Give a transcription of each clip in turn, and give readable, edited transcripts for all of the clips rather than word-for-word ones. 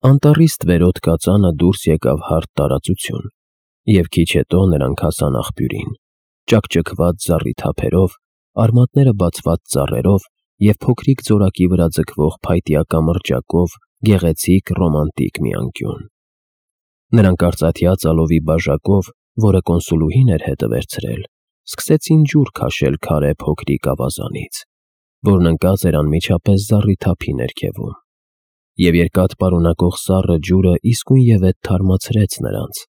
Անտառից ստվերոտ կածանը դուրս եկավ հարթ տարածություն, և քիչ հետո նրանք հասան աղբյուրին, ճաքճքված զառիթափերով, արմատները բացված ծառերով և փոքրիկ ձորակի վրա ձգվող փայտյա կամրջակով գեղեցիկ ռոմանտիկ մի անկյուն։ Նրանք արծաթյա ծալովի բաժակով, որը կոնսուլուհին էր հետը վերցրել, սկսեցին ջուր քաշել քարե փոքրիկ ավազանից, որն ընկած էր անմիջապես զառիթափի ներքևում, և երկաթ պարունակող սառը ջուրը իսկույնևեթ թարմացրեց նրանց,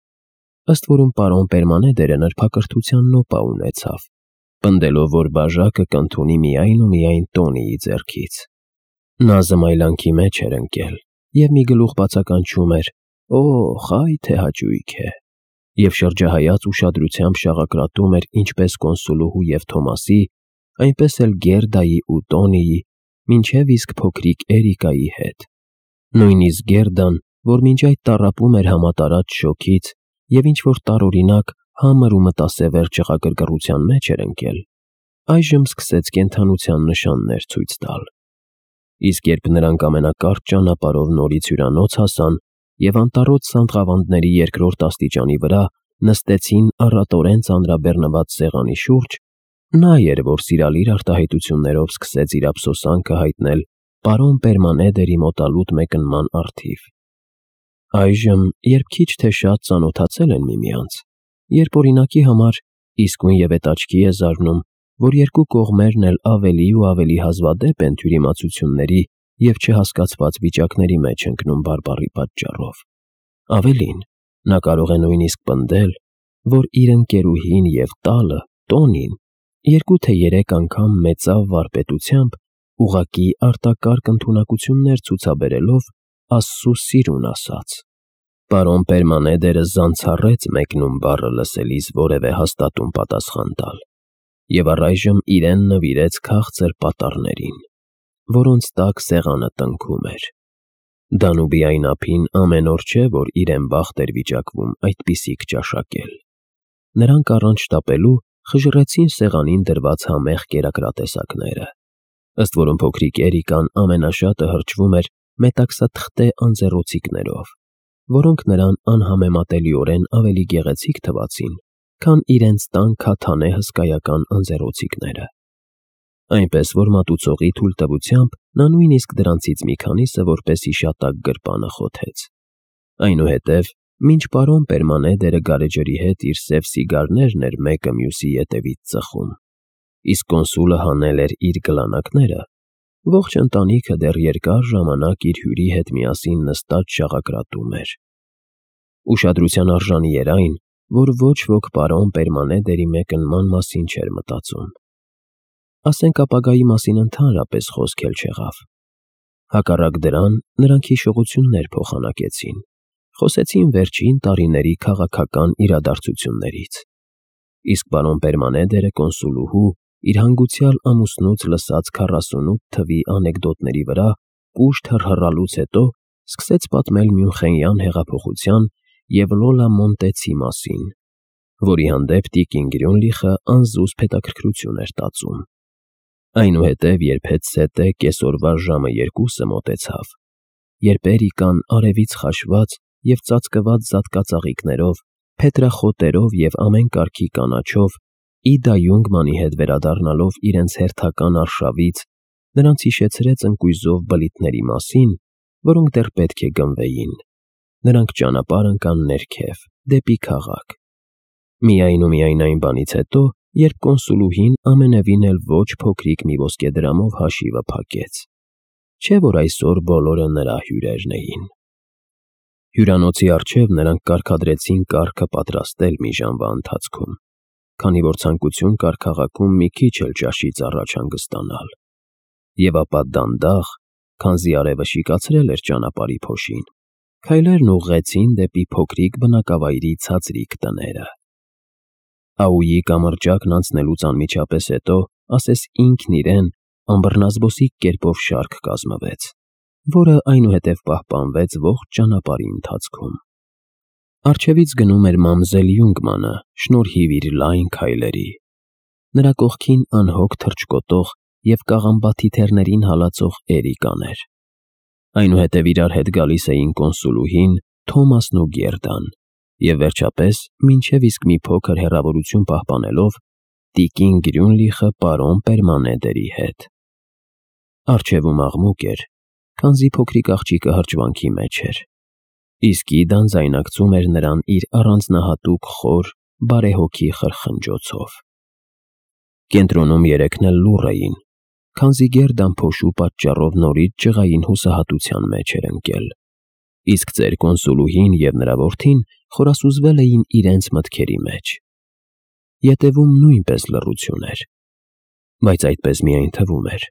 ըստ որում պարոն Պերմանեդերը նրբակրթության նոպա ունեցավ, պնդելով, որ բաժակը կընդունի միայն ու միայն Տոնիի ձեռքից։ Նա զմայլանքի մեջ էր ընկել և մի գլուխ բացականչում էր. «Օ՜խ, այ թե հաճույք է», և շրջահայաց ուշադրությամբ շաղակրատում էր ինչպես կոնսուլուհու և Թոմասի, այնպես էլ Գերդայի ու Տոնիի, մինչև իսկ փոքրիկ Էրիկայի հետ։ Նույնիսկ Գերդան, որ մինչ այդ տառապում էր համատարած շոգից և ինչ-որ տարօրինակ համր ու մտասևեռ ճղագրգռության մեջ էր ընկել, այժմ սկսեց կենդանության նշաններ ցույց տալ։ Իսկ երբ նրանք ամենակարճ ճանապարհով նորից հյուրանոց հասան և անտառոտ սանդղավանդների երկրորդ աստիճանի վրա նստեցին առատորեն ծանրաբեռնված սեղանի շուրջ, նա էր, որ սիրալիր արտահայտություններով սկսեց իր ափսոսանքը հայտնել պարոն Պերմանեդերի մոտալուտ մեկնման առթիվ։ Այժմ, երբ քիչ թե շատ ծանոթացել են միմյանց, երբ օրինակի համար իսկույնևեթ աչքի է զարնում, որ երկու կողմերն էլ ավելի ու ավելի հազվադեպ են թյուրիմացությունների և չհասկացված վիճակների մեջ ընկնում բարբառի պատճառով։ Ավելին, նա կարող է նույնիսկ պնդել, որ իր ընկերուհին և տալը, Տոնին, 2 թե 3 անգամ մեծավ վարպետությամբ, ուղղակի արտակարգ ընդունակություններ ցուցաբերելով Աստծու սիրուն ասաց։ Պարոն Պերմանեդերը զանցառեց մեկնում բառը լսելիս որևէ հաստատուն պատասխան տալ, և առայժմ իրեն նվիրեց քաղցր պատառներին, որոնց տակ սեղանը տնքում էր։ Դանուբի այն ափին ամեն օր չէ, որ իրեն բախտ էր վիճակվում այդպիսիք ճաշակել։ Նրանք առանց շտապելու խժռեցին սեղանին դրված համեղ կերակրատեսակները, ըստ որում փոքրիկ Էրիկան ամենաշատը հրճվում էր մետաքսաթղթե անձեռոցիկներով, որոնք նրան անհամեմատելիորեն ավելի գեղեցիկ թվացին, քան իրենց տան քաթանե հսկայական անձեռոցիկները։ Այնպես որ մատուցողի թույլտվությամբ նա նույնիսկ դրանցից մի քանիսը որպես հիշատակ գրպանը խոթեց։ Այնուհետև, մինչ պարոն Պերմանեդերը գարեջրի հետ իր սև սիգարներն էր մեկը մյուսի ետևից ծխում, իսկ կոնսուլը հանել էր իր գլանակները, ողջ ընտանիքը դեռ երկար ժամանակ իր հյուրի հետ միասին նստած շաղակրատում էր։ Ուշադրության արժանի էր այն, որ ոչ ոք պարոն Պերմանեդերի մեկնման մասին չէր մտածում։ Ասենք ապագայի մասին ընդհանրապես խոսք էլ չեղավ։ Հակառակ դրան, նրանք հիշողություններ փոխանակեցին, խոսեցին վերջին տարիների քաղաքական իրադարձություններից, իսկ պարոն Պերմանեդերը կոնսուլուհու իր հանգուցյալ ամուսնուց լսած 48 թվի անեկդոտների վրա կուշտ հռհռալուց հետո սկսեց պատմել Մյունխենյան հեղափոխության և Լոլա Մոնտեցի մասին, որի հանդեպ տիկին Գրյունլիխը անզուսպ հետաքրքրություն էր տածում։ Այնուհետև, երբ հետզհետե կեսօրվա ժամը 2-ը մոտեցավ, երբ Էրիկան արևից խաշված և ծածկված զատկածաղիկներով, փետրախոտերով և ամեն կարգի կանաչով, Իդա Յունգմանի հետ վերադառնալով իրենց հերթական արշավից, նրանց հիշեցրեց ընկույզով բլիթների մասին, որոնք դեռ պետք է գնվեին, նրանք ճանապարհ ընկան ներքև, դեպի քաղաք։ Միայն ու միայն այն բանից հետո, երբ կոնսուլուհին ամենևին էլ ոչ փոքրիկ մի ոսկեդրամով հաշիվը փակեց, չէ՞ որ այսօր բոլորը նրա հյուրերն էին։ Հյուրանոցի առջև նրանք կարգադրեցին կարգը պատրաստել մի ժամվա ընթացքում, քանի որ ցանկություն կար քաղաքում մի քիչ էլ ճաշից առաջ հանգստանալ, և ապա դանդաղ, քանզի արևը շիկացրել էր ճանապարհի փոշին, քայլերն ուղղեցին դեպի փոքրիկ բնակավայրի ցածրիկ տները։ Աույի կամրջակն անցնելուց անմիջապես հետո, ասես ինքն իրեն, անբռնազբոսիկ կերպով շարք կազմվեց, որը այնուհետև պահպանվեց ողջ ճանապարհի ընթացքում։ Առջևից գնում էր մամզել Յունգմանը, շնորհիվ իր լայն քայլերի։ Նրա կողքին անհոգ թռչկոտող և կաղամբաթիթեռներին հալածող Էրիկան էր։ Այնուհետև իրար հետ գալիս էին կոնսուլուհին, Թոմասն ու Գերդան, և վերջապես, մինչև իսկ մի փոքր հեռավորություն պահպանելով, տիկին Գրյունլիխը պարոն Պերմանեդերի հետ։ Առջևում աղմուկ էր, քանզի փոքրիկ աղջիկը հրճվանքի մեջ էր, իսկ Իդան ձայնարկում էր նրան իր առանձնահատուկ խոր, բարեհոգի խրխնջոցով։ Կենտրոնում երեքն էլ լուռ էին, քանզի Գերդան փոշու պատճառով նորից ջղային հուսահատության մեջ էր ընկել, իսկ ծեր կոնսուլուհին և նրա որդին խորասուզվել էին իրենց մտքերի մեջ։ Ետևում նույնպես լռություն էր, բայց այդպես միայն թվում էր։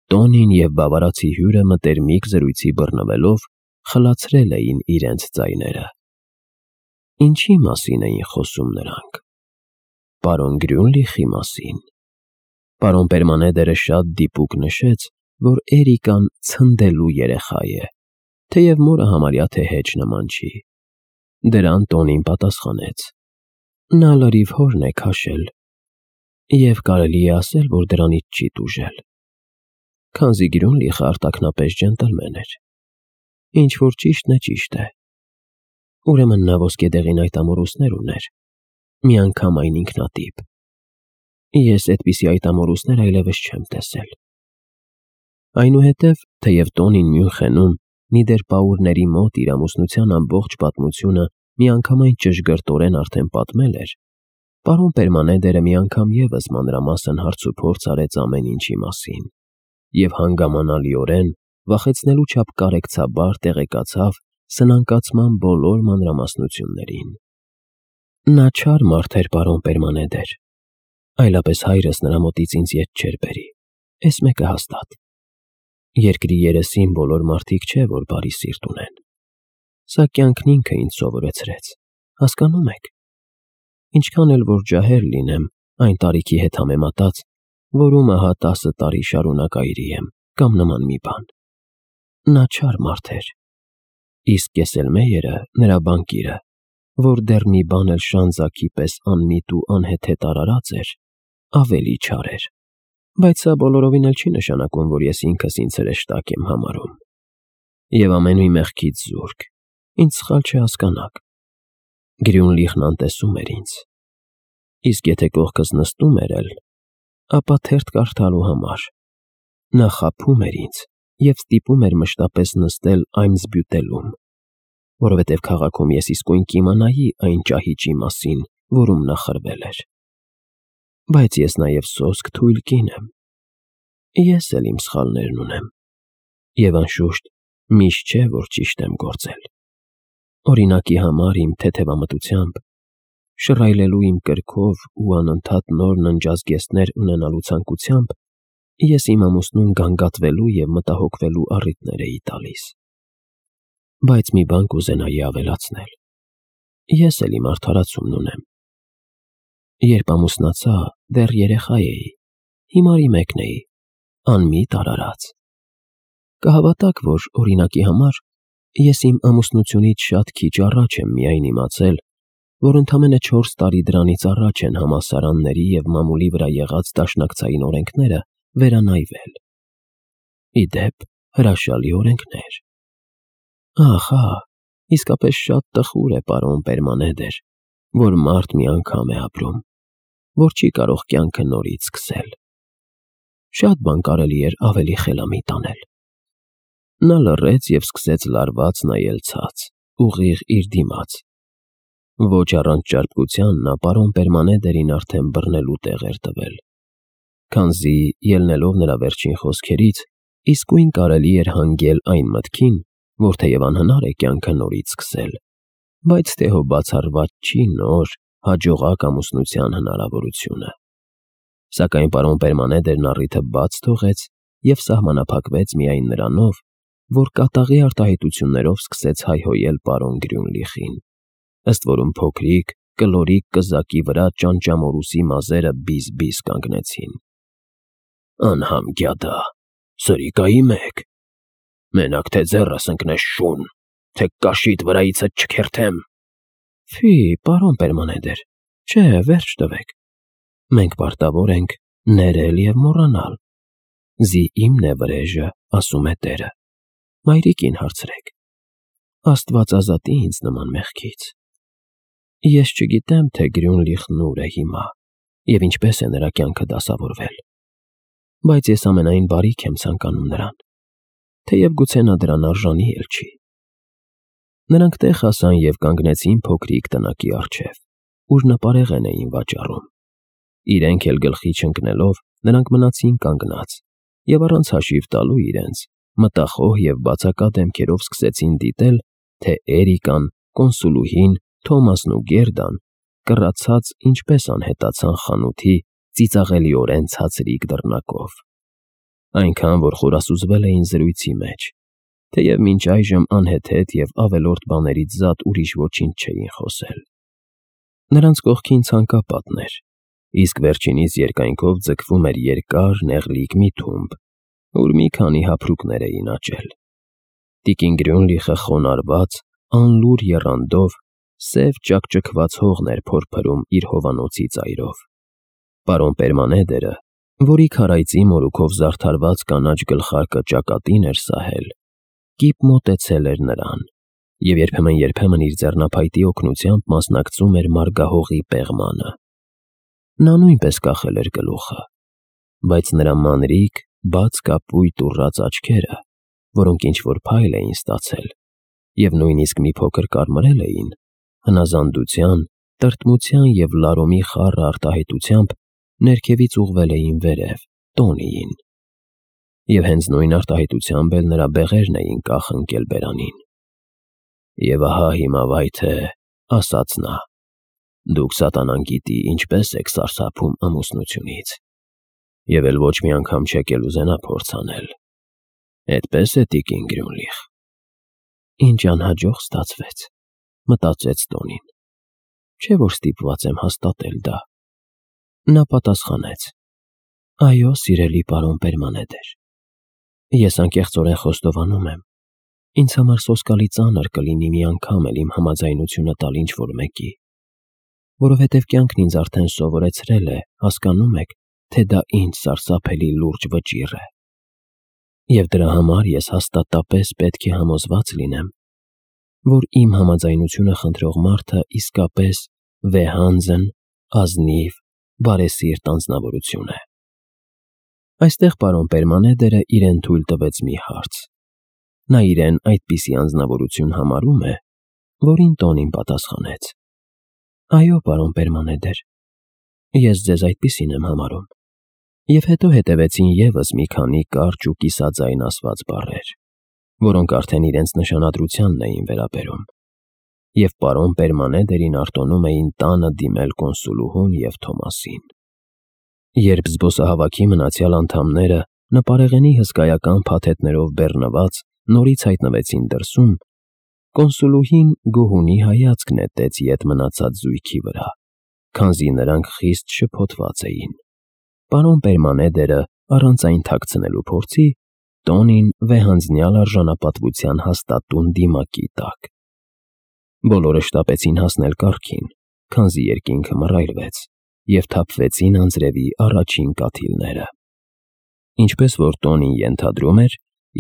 Տոնին և բավարացի հյուրը մտերմիկ զրույցի բռնվելով խլացրել էին իրենց ձայները։ Ինչի մասին էին խոսում նրանք։ Պարոն Գրյունլիխի մասին։ Պարոն Պերմանեդերը շատ դիպուկ նշեց, որ Էրիկան ցնդելու երեխա է, թեև մորը համարյա թե հեչ նման չի։ Դրան Տոնին պատասխանեց. նա լրիվ հորն է քաշել, և կարելի է ասել, որ դրանից չի տուժել, քանզի Գրյունլիխը արտաքնապես ջենտլմեն էր։ Ինչ որ ճիշտն է, ճիշտ է։ Ուրեմն նա ոսկեդեղին այդ ամորուսներ ուներ, միանգամայն ինքնատիպ։ Ես այդպիսի այդ ամորուսներ այլևս չեմ տեսել։ Այնուհետև, թեև Տոնին Մյունխենում Նիդերպաուրների մոտ իր ամուսնության ամբողջ պատմությունը միանգամայն ճշգրտորեն արդեն պատմել էր, պարոն Պերմանեդերը մի անգամ ևս մանրամասն հարցուփորձ արեց ամեն ինչի մասին և հանգամանալիորեն, վախեցնելու չափ կարեկցաբար տեղեկացավ սնանկացման բոլոր մանրամասնություններին։ Նա չար մարդ էր, պարոն Պերմանեդեր, այլապես հայրս նրա մոտից ինձ ետ չէր բերի, էս մեկը հաստատ։ Երկրի երեսին բոլոր մարդիկ չէ, որ բարի սիրտ ունեն։ Սա կյանքն ինքը ինձ սովորեցրեց, հասկանում եք։ Ինչքան էլ որ ջահել լինեմ, այն տարիքի հետ համեմատած, որում ահա 10 տարի շարունակ այրի եմ, կամ նման մի բան։ Նա չար մարդ էր, իսկ Կեսելմեյերը, նրա բանկիրը, որ դեռ մի բան էլ Շանզակի պես անմիտ ու անհեթեթ արարած էր, ավելի չար էր, բայց սա բոլորովին էլ չի նշանակում, որ ես ինքս ինձ հրեշտակ եմ համարում։ Եվ ամենուի մեղքից զուրկ, ինձ սխալ չհասկանաք։ Գրյունլիխն անտեսում էր ինձ, իսկ եթե կողքս նստում էր էլ, ապա թերթ կարդալու համար։ Նա խաբում էր ինձ և ստիպում էր մշտապես նստել Այմզբյուտելում, որովհետև քաղաքում ես իսկույն կիմանայի այն ճահիճի մասին, որում նա խրվել էր։ Բայց ես նաև սոսկ թույլ կին եմ։ Ես էլ իմ սխալներն ունեմ, և անշուշտ միշտ չէ, որ ճիշտ եմ գործել։ Օրինակի համար իմ թեթևամտությամբ, շռայլելու իմ կրքով ու անընդհատ նոր ննջազգեստներ ունենալու ցանկությամբ ես իմ ամուսնուն գանգատվելու և մտահոգվելու առիթներ էի տալիս։ Բայց մի բան կուզենայի ավելացնել. ես էլ իմ արդարացումն ունեմ։ Երբ ամուսնացա, դեռ երեխա էի, հիմարի մեկն էի, անմիտ արարած։ Կհավատաք, որ օրինակի համար ես իմ ամուսնությունից շատ քիչ առաջ եմ միայն իմացել, որ ընդամենը 4 տարի դրանից առաջ են համալսարանների և մամուլի վրա եղած դաշնակցային օրենքները վերանայվել։ Ի դեպ, հրաշալի օրենքներ։ Ահա, իսկապես շատ տխուր է, պարոն Պերմանեդեր, որ մարդ մի անգամ է ապրում, որ չի կարող կյանքը նորից սկսել։ Շատ բան կարելի էր ավելի խելամիտ անել։ Նա լռեց և սկսեց լարված նայել ցած, ուղիղ իր դիմաց։ Ոչ առանց ճարպկության նա պարոն Պերմանեդերին արդեն բռնելու տեղ էր տվել, քանզի, ելնելով նրա վերջին խոսքերից, իսկույն կարելի էր հանգել այն մտքին, որ թեև անհնար է կյանքը նորից սկսել, բայց թե հո բացառված չի նոր, հաջողակ ամուսնության հնարավորությունը։ Սակայն պարոն Պերմանեդերն առիթը բաց թողեց և սահմանափակվեց միայն նրանով, որ կատաղի արտահայտություններով սկսեց հայհոյել պարոն Գրյունլիխին, ըստ որում փոքրիկ, կլորիկ կզակի վրա ճանճամորուսի մազերը բիզ-բիզ կանգնեցին։ Անհամ գյադա, սրիկայի մեկ, մենակ թե ձեռս ընկնես շուն, թե կաշիդ վրայիցդ չքերթեմ։ Ֆի, պարոն Պերմանեդեր, չէ, վերջ տվեք։ Մենք պարտավոր ենք ներել և մոռանալ։ Զի իմն է վրեժը, ասում է տերը։ Մայրիկին հարցրեք։ Աստված ազատի ինձ նման մեղքից։ Ես չգիտեմ, թե Գրյունլիխն ուր է հիմա և ինչպես է նրա կյանքը դասավորվել, բայց ես ամենայն բարիք եմ ցանկանում նրան, թեև գուցե նա դրան արժանի էլ չի։ Նրանք տեղ հասան և կանգնեցին փոքրիկ տնակի առջև, ուր նապարեղեն էին վաճառում։ Իրենք էլ գլխի չընկնելով, նրանք մնացին կանգնած և առանց հաշիվ տալու իրենց, մտախոհ և բացակա դեմքերով սկսեցին դիտել, թե Էրիկան, կոնսուլուհին, Թոմասն ու Գերդան կռացած ինչպես անհետացան խանութի ծիծաղելիորեն ցածրիկ դռնակով։ Այնքան, որ խորասուզվել էին զրույցի մեջ, թեև մինչ այժմ անհեթեթ և ավելորդ բաներից զատ ուրիշ ոչինչ չէին խոսել։ Նրանց կողքին ցանկապատն էր, իսկ վերջինիս երկայնքով ձգվում էր երկար, նեղլիկ մի թումբ, ուր մի քանի հափրուկներ էին աճել։ Տիկին Գրյունլիխը խոնարհված, անլուր եռանդով, սև ճաքճքված հողն էր փորփրում իր հովանոցի ծայրով։ Պարոն Պերմանեդերը, որի քարայծի մորուքով զարդարված կանաչ գլխարկը ճակատին էր սահել, կիպ մոտեցել էր նրան և երբեմն իր ձեռնափայտի օգնությամբ մասնակցում էր մարգահողի պեղմանը։ Նա նույնպես կախել էր գլուխը, բայց նրա մանրիկ, բաց կապույտ ուռած աչքերը, որոնք ինչ-որ փայլ էին ստացել և նույնիսկ մի փոքր կարմրել էին, հնազանդության, տրտմության և լարումի խառը արտահայտությամբ ներքևից ուղղվել էին վերև, տոնիին։ Եվ հենց նույն արտահայտությամբ էլ նրա բեղերն էին կախ ընկել բերանին։ «Եվ ահա հիմա վայ թե, ասաց նա, դուք սատանան գիտի ինչպես եք սարսափում ամուսնությունից, և էլ ոչ մի անգամ չեք էլ ուզենա փորձ անել։ Էդպես է, տիկին Գրյունլիխ»։ Ինչ անհաջող ստացվեց, մտածեց Տոնին։ Չէ՞ որ ստիպված եմ հաստատել դա։ Նա պատասխանեց. «Այո, սիրելի պարոն Պերմանեդեր, ես անկեղծորեն խոստովանում եմ, ինձ համար սոսկալի ծանր կլինի մի անգամ էլ իմ համաձայնությունը տալ ինչ-որ մեկի, որովհետև կյանքն ինձ արդեն սովորեցրել է, հասկանում եք, թե դա ինչ սարսափելի լուրջ վճիռ է։ Եվ դրա համար ես հաստատապես պետք է համոզված լինեմ, որ իմ համաձայնությունը խնդրող մարդը իսկապես վեհանձն, ազնիվ, բարեսիրտ անձնավորություն է»։ Այստեղ պարոն Պերմանեդերը իրեն թույլ տվեց մի հարց։ Նա իրեն այդպիսի անձնավորություն համարում է, որին Տոնին պատասխանեց. «Այո, պարոն Պերմանեդեր, ես ձեզ այդպիսին եմ համարում»։ Եվ հետո հետևեցին ևս մի քանի կարճ ու կիսաձայն ասված բառեր, որոնք արդեն իրենց նշանադրությանն էին վերաբերում, և պարոն Պերմանեդերին արտոնում էին տանը դիմել կոնսուլուհուն և Թոմասին։ Երբ զբոսահավաքի մնացյալ անդամները նպարեղենի հսկայական փաթեթներով բեռնված նորից հայտնվեցին դրսում, կոնսուլուհին գոհունի հայացք նետեց ետ մնացած զույգի վրա, քանզի նրանք խիստ շփոթված էին։ Պարոն Պերմանեդերը առանց այն թաքցնելու փորձի, Տոնին վեհանձնյալ արժանապատվության հաստատուն դիմակի տակ։ Բոլորը շտապեցին հասնել կառքին, քանզի երկինքը մռայլվեց, և թափվեցին անձրևի առաջին կաթիլները։ Ինչպես որ Տոնին ենթադրում էր,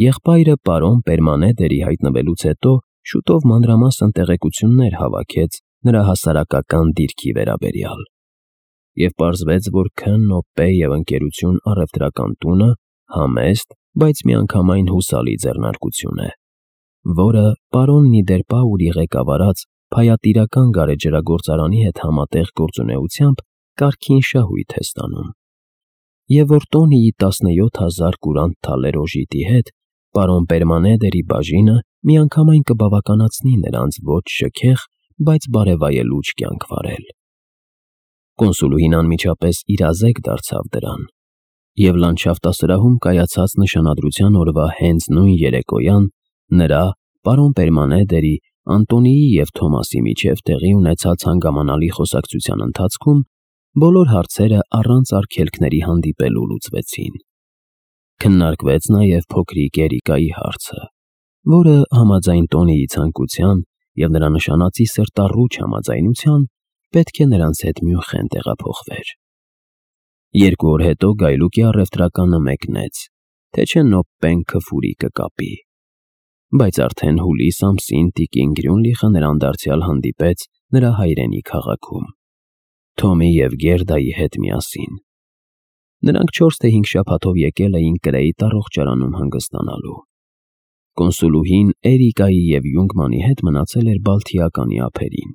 եղբայրը պարոն Պերմանեդերի հայտնվելուց հետո շուտով մանրամասն տեղեկություններ հավաքեց նրա հասարակական դիրքի վերաբերյալ, և պարզվեց, որ K&P և ընկերություն առևտրական տունը համեստ, բայց միանգամայն հուսալի ձեռնարկություն է, որը պարոն Նիդերպաուրի ղեկավարած փայատիրական գարեջրագործարանի հետ համատեղ գործունեությամբ կարգին շահույթ է ստանում, և որ Տոնիի 17,000 կուրանտ թալեր օժիտի հետ պարոն Պերմանեդերի բաժինը միանգամայն կբավականացնի նրանց ոչ շքեղ, բայց բարևայելուչ կյանք վարել։ Կոնսուլուհին անմիջապես իրազեկ դարձավ դրան, և լանդշաֆտասրահում կայացած նշանադրության օրվա հենց նույն երեկոյան նրա, պարոն Պերմանեդերի, Անտոնիի և Թոմասի միջև տեղի ունեցած հանգամանալի խոսակցության ընթացքում բոլոր հարցերը առանց արգելքների հանդիպելու լուծվեցին։ Քննարկվեց նաև փոքրիկ Էրիկայի հարցը, որը համաձայն Տոնիի ցանկության և նրա նշանածի սրտառուչ համաձայնության պետք է նրանց հետ Մյունխեն տեղափոխվեր։ 2 օր հետո գայլուկի առևտրականը մեկնեց, թե չէ Նոպպեն քֆուրի կկապի։ բայց արդեն հուլիս ամսին տիկին Գրյունլիխը նրան դարձյալ հանդիպեց նրա հայրենի քաղաքում, Թոմի և Գերդայի հետ միասին։ Նրանք 4 թե 5 շաբաթով եկել էին Կրեիտ առողջարանում հանգստանալու։ Կոնսուլուհին Էրիկայի և Յունգմանի հետ մնացել էր Բալթիականի ափերին։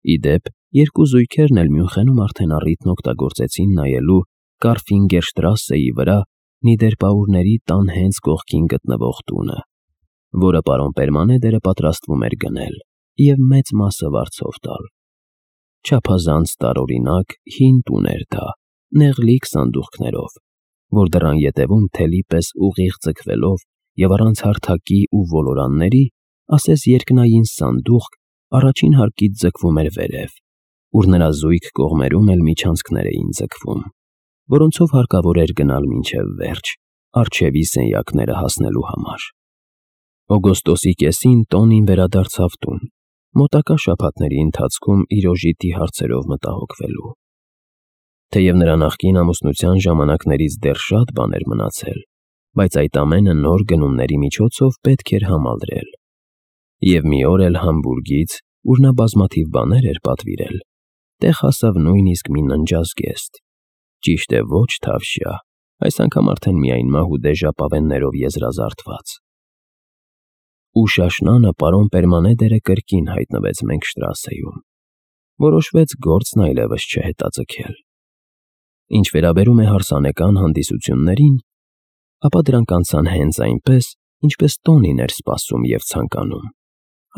Ի դեպ, երկու զույգերն էլ Մյունխենում արդեն առիթն օգտագործեցին նայելու Կարֆինգերշտրասեի վրա Նիդերպաուրների տան հենց կողքին գտնվող տունը, որը պարոն Պերմանեդերը պատրաստվում էր գնել և մեծ մասը վարձով տալ։ Չափազանց տարօրինակ հին տուն էր դա, նեղլիկ սանդուղքներով, որ դռան ետևում թելի պես ուղիղ ձգվելով և առանց հարթակի ու ոլորանների, ասես երկնային սանդուղք, առաջին հարկից ձգվում էր վերև, ուր նրա զույգ կողմերում էլ միջանցքներ էին ձգվում, որոնցով հարկավոր էր գնալ մինչև վերջ, առջևի սենյակները հասնելու համար։ Օգոստոսի կեսին Տոնին վերադարձավ տուն, մոտակա շաբաթների ընթացքում իր օժիտի հարցերով մտահոգվելու։ Թեև նրա նախկին ամուսնության ժամանակներից դեռ շատ բան էր մնացել, բայց այդ ամենը նոր գնումների միջոցով պետք էր համալրել։ Եվ մի օր էլ Համբուրգից, ուր նա բազմաթիվ բաներ էր պատվիրել, տեղ հասավ նույնիսկ մի ննջազգեստ, ճիշտ է ոչ թավշյա, այս անգամ արդեն միայն մահուդե ժապավեններով եզրազարդված։ Ուշ աշնանը պարոն Պերմանեդերը կրկին հայտնվեց Մենքշտրասեում։ Որոշվեց գործն այլևս չհետաձգել։ Ինչ վերաբերում է հարսանեկան հանդիսություններին, ապա դրանք անցան հենց այնպես, ինչպես Տոնին էր սպասում և ցանկանում,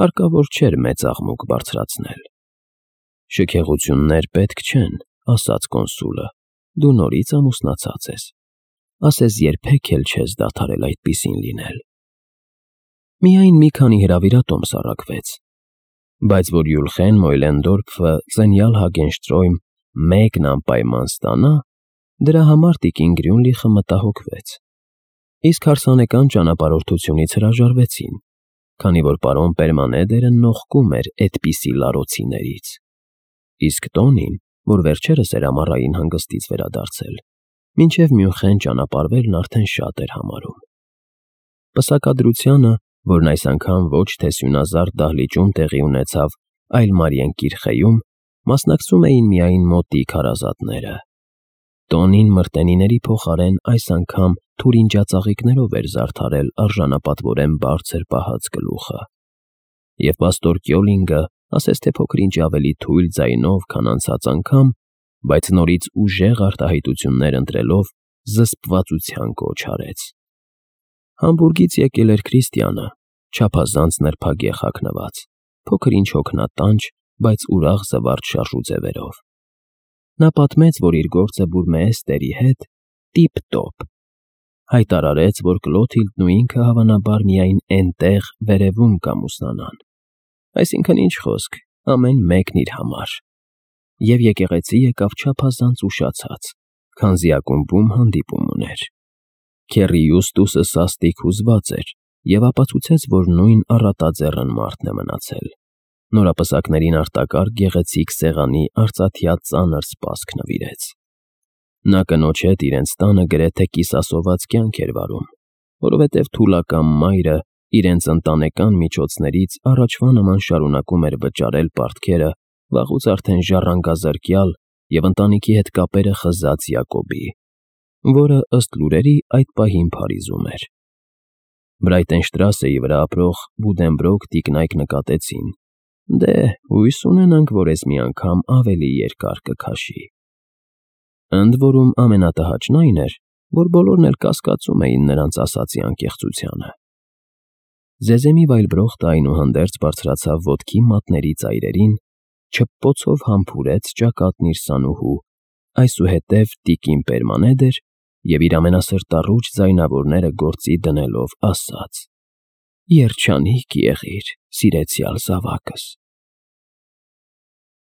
հարկավոր չէր մեծ աղմուկ բարձրացնել։ Շքեղություններ պետք չեն, ասաց կոնսուլը, դու նորից ամուսնացած ես, ասես երբեք էլ չես դադարել այդպիսին լինել։ Միայն մի քանի հրավիրատոմս առաքվեց, բայց որ Յուլխեն Մոյլենդորֆը Ծենյալ Հագենշտրոյմ մեկն անպայման ստանա, դրա համար տիկին Գրյունլիխը մտահոգվեց։ Իսկ հարսանեկան ճանապարհորդությունից հրաժարվեցին, քանի որ պարոն Պերմանեդերը նողկում էր էդպիսի լարոցիներից։ Իսկ Տոնին, որ վերջերս էր ամառային հանգստից վերադարձել, մինչև Մյունխեն ճանապարհվելն արդեն շատ էր համարում։ Պսակադրությանը, որն այս անգամ ոչ թե սյունազարդ դահլիճում տեղի ունեցավ, այլ Մարիենկիրխեում, մասնակցում էին միայն մոտիկ հարազատները։ Տոնին մրտենիների փոխարեն այս անգամ թուրինջածաղիկներով էր զարդարել արժանապատվորեն բարձր պահած գլուխը։ Եվ պաստոր Կյոլինգը, ասես թե փոքր-ինչ ավելի թույլ ձայնով, քան անցած անգամ, բայց նորից ուժեղ արտահայտություններ ընտրելով, զսպվածության կոչ արեց։ Համբուրգից եկել էր Քրիստիանը, չափազանց նրբագեղ հագնված, փոքր-ինչ հոգնատանջ, բայց ուրախ զվարճ շարժուձևերով։ Նա պատմեց, որ իր գործը բուրմեեստերի հետ տիպ-տոպ, հայտարարեց, որ Կլոթիլդն ու ինքը հավանաբար միայն էնտեղ վերևում կամուսնանան, այսինքն ինչ խոսք, ամեն մեկն իր համար, և եկեղեցի եկավ չափազանց ուշացած, քանզի ակումբում հանդիպում ուներ։ Քեռի Յուստուսը սաստիկ հուզված էր և ապացուցեց, որ նույն առատաձեռն մարդն է մնացել։ Նորապսակներին արտակարգ գեղեցիկ սեղանի արծաթյա ծանր սպասք նվիրեց։ Նա կնոջ հետ իրենց տանը գրեթե կիսասոված կյանք էր վարում, որովհետև թուլակամ մայրը իրենց ընտանեկան միջոցներից առաջվա նման շարունակում էր վճարել պարտքերը վաղուց արդեն ժառանգազրկյալ և ընտանիքի հետ կապերը խզած Յակոբի, որը ըստ լուրերի այդ պահին Փարիզում էր։ Բրայտենշտրասեի վրա ապրող Բուդենբրոկ տիկնայք նկատեցին. դե, հույս ունենանք, որ էս մի անգամ ավելի երկար կքաշի։ Ընդ որում ամենատհաճն այն էր, որ բոլորն էլ կասկածում էին նրանց ասացի անկեղծությանը։ Զեզեմի վայլբրոխտը այնուհանդերձ բարձրացավ ոտքի մատների ծայրերին, չփոցով համբուրեց ճակատն իր սանուհու, այսուհետև տիկին Պերմանեդեր և իր ամենասրտառուչ ձայնավորները գործի դնելով ասաց. «Երջանիկ եղիր, սիրեցյալ զավակս»։